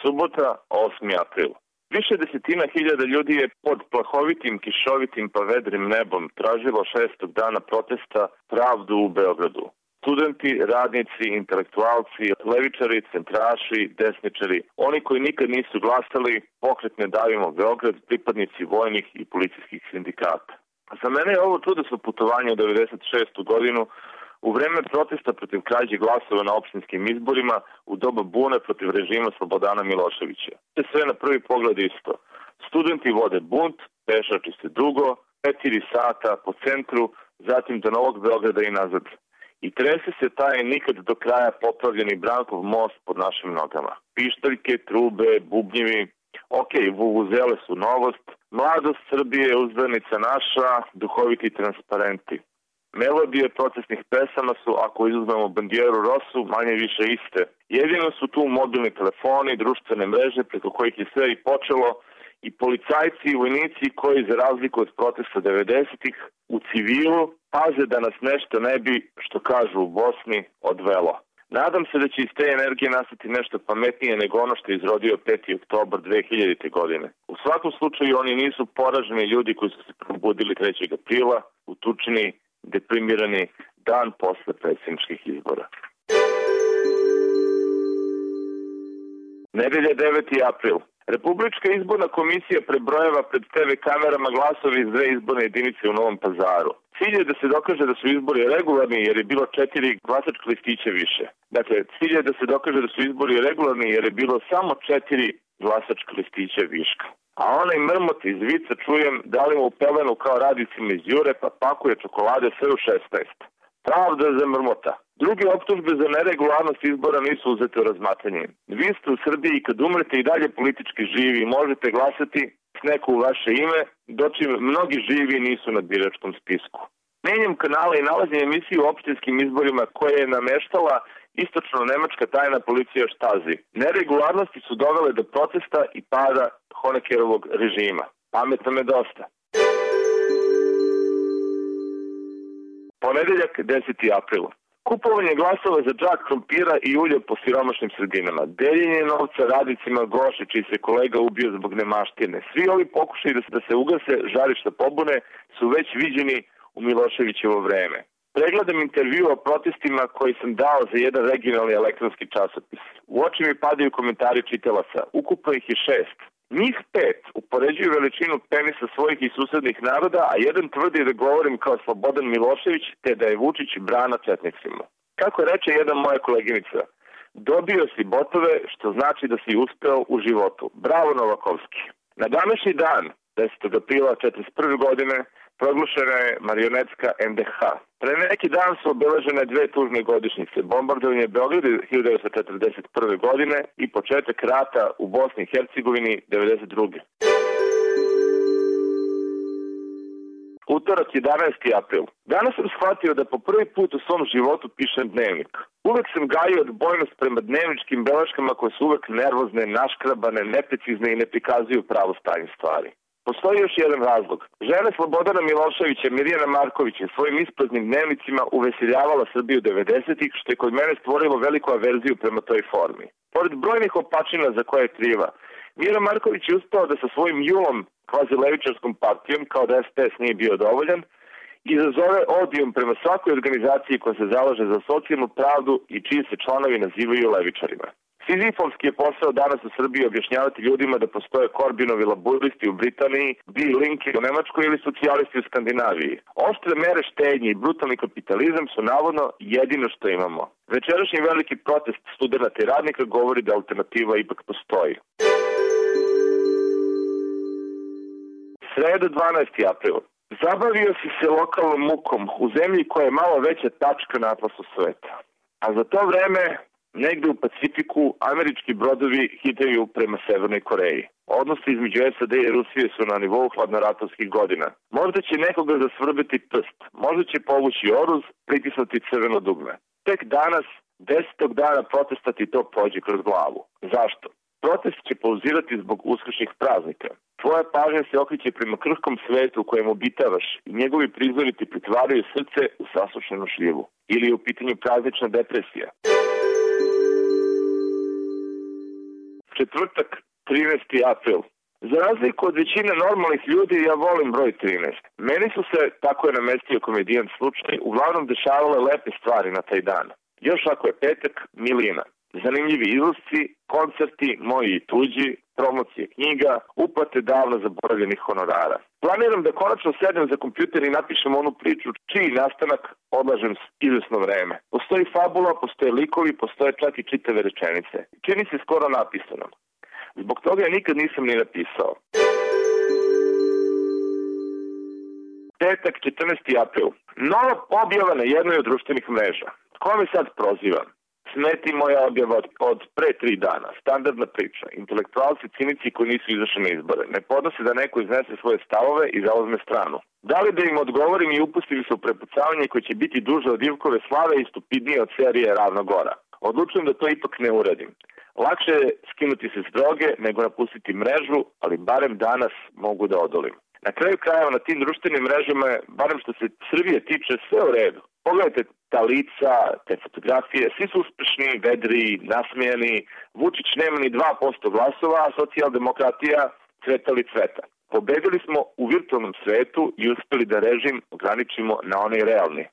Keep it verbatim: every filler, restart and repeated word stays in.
Subota, osmi april. Više desetina hiljada ljudi je pod plahovitim, kišovitim pa vedrim nebom tražilo šestog dana protesta pravdu u Beogradu. Studenti, radnici, intelektualci, levičari, centraši, desničari, oni koji nikad nisu glasali, pokret Ne davimo Beograd, pripadnici vojnih i policijskih sindikata. Za mene je ovo čudesno putovanje u devedeset šestu godinu, u vreme protesta protiv krađe glasova na opštinskim izborima, u doba bune protiv režima Slobodana Miloševića. To je sve na prvi pogled isto. Studenti vode bunt, pešači se dugo, četiri sata po centru, zatim do Novog Beograda i nazad. I trese se taj nikad do kraja popravljeni Brankov most pod našim nogama. Pištaljke, trube, bubnjevi, ok, vuvuzele su novost, mladost Srbije, uzdanica naša, duhoviti transparenti. Melodije procesnih pesama su, ako izuzmemo Bandieru Rosu, manje više iste. Jedino su tu mobilni telefoni, društvene mreže preko kojih je sve i počelo, i policajci i vojnici koji, za razliku od protesta devedesetih, u civilu paze da nas nešto ne bi, što kažu u Bosni, odvelo. Nadam se da će iz te energije nastati nešto pametnije nego ono što je izrodio peti oktobar dve hiljadite. godine. U svakom slučaju oni nisu poraženi ljudi koji su se probudili trećeg aprila, utučeni, deprimirani dan posle predsjedničkih izbora. Nedelja deveti april. Republička izborna komisija prebrojeva pred te ve kamerama glasovi iz dve izborne jedinice u Novom Pazaru. Cilj je da se dokaže da su izbori regularni jer je bilo četiri glasačka listića više. Dakle, cilj je da se dokaže da su izbori regularni jer je bilo samo četiri glasačka listića viška. A onaj mrmot iz vica čujem da li mu u pelenu kao radicima iz Jure pa pakuje čokolade sve u šesnaest. Pravda za mrmota. Druge optužbe za neregularnost izbora nisu uzete u razmatranje. Vi ste u Srbiji i kad umrete i dalje politički živi i možete glasati s neko u vaše ime, dočim mnogi živi nisu na biračkom spisku. Menjam kanala i nalazim emisiju o opštinskim izborima koje je nameštala istočno-nemačka tajna policija Štazi. Neregularnosti su dovele do protesta i pada Honeckerovog režima. Pametno me dosta. Ponedeljak, deseti april. Kupovanje glasova za džak krompira i ulje po siromašnim sredinama. Deljenje novca radnicima Goše, čiji se kolega ubio zbog nemaštine. Svi ovi pokušaji da se, da se ugase žarišta pobune su već viđeni u Miloševićevo vreme. Pregledam intervju o protestima koji sam dao za jedan regionalni elektronski časopis. U oči mi padaju komentari čitalaca. Ukupno ih je šest. Njih pet upoređuju veličinu penisa svojih i susednih naroda, a jedan tvrdi da govorim kao Slobodan Milošević, te da je Vučić brana četnicima. Kako reče jedna moja koleginica, dobio si botove, što znači da si uspeo u životu. Bravo Novakovski. Na današnji dan, desetog aprila četrdeset prve. godine, proglašena je marionetska en de ha. Pre neki dan su obeležene dve tužne godišnjice, bombardovanje Beograda hiljadu devetsto četrdeset prve. godine i početak rata u Bosni i Hercegovini devedeset druge. Utorak, jedanaesti april. Danas sam shvatio da po prvi put u svom životu pišem dnevnik. Uvek sam gajio odbojnost prema dnevničkim beleškama koje su uvek nervozne, naškrabane, neprecizne i ne prikazuju pravo stanje stvari. Postoji još jedan razlog. Žena Slobodana Miloševića, Mirjana Marković, je svojim ispraznim dnevnicima uveseljavala Srbiju devedesetih, što je kod mene stvorilo veliku averziju prema toj formi. Pored brojnih opačina za koje je kriva, Mirjana Marković je uspela da sa svojim julom, kvazi levičarskom partijom, kao da es pe es nije bio dovoljan, izazove odijum prema svakoj organizaciji koja se zalaže za socijalnu pravdu i čiji se članovi nazivaju levičarima. Sizifovski je posao danas u Srbiji objašnjavati ljudima da postoje Korbinovi laburisti u Britaniji, Bill Linke u Nemačkoj ili socijalisti u Skandinaviji. Oštre mere štednje i brutalni kapitalizam su navodno jedino što imamo. Večerašnji veliki protest studenata i radnika govori da alternativa ipak postoji. Sreda, dvanaesti april. Zabavio si se lokalnom mukom u zemlji koja je malo veća tačka na atlasu sveta. A za to vreme negde u Pacifiku američki brodovi hitaju prema Severnoj Koreji. Odnosi između es a de i Rusije su na nivou hladnoratovskih godina. Možda će nekoga zasvrbiti prst, možda će povući oruz, pritisnuti crveno dugme. Tek danas, desetog dana protesta ti to prođe kroz glavu. Zašto? Protest će pauzirati zbog uskršnjih praznika. Tvoja pažnja se okreće prema krhkom svetu u kojem obitavaš i njegovi prizori ti pretvaraju srce u sasušenu šljivu. Ili je u pitanju praznična depresija. Četvrtak, trinaesti april. Za razliku od većine normalnih ljudi, ja volim broj trinaest. Meni su se, tako je namestio komedijan slučaj, uglavnom dešavale lepe stvari na taj dan. Još ako je petak, milina. Zanimljivi izlasci, koncerti, moji i tuđi, promocije knjiga, uplate davno zaboravljenih honorara. Planiram da konačno sedem za kompjuter i napišem onu priču čiji nastanak odlažem izvesno vreme. Postoji fabula, postoje likovi, postoje čak i čitave rečenice. Čini se skoro napisano. Zbog toga ja nikad nisam ni napisao. Petak, četrnaesti april. Nova objava na jednoj od društvenih mreža. Ko me sad proziva? Smeti moja objava od, od pre tri dana. Standardna priča. Intelektualci, cinici koji nisu izašli na izbore. Ne podnose da neko iznese svoje stavove i zauzme stranu. Da li da im odgovorim i upustim se u prepucavanje koje će biti duže od Ivkove slave i stupidnije od serije Ravna Gora? Odlučujem da to ipak ne uradim. Lakše je skinuti se s droge nego napustiti mrežu, ali barem danas mogu da odolim. Na kraju krajeva na tim društvenim mrežama je, barem što se Srbije tiče, sve u redu. Pogledajte ta lica, te fotografije, svi su uspešni, vedri, nasmijani. Vučić nema ni dva posto glasova, a socijaldemokratija cveta li cveta. Pobedili smo u virtualnom svetu i uspeli da režim ograničimo na onaj realni.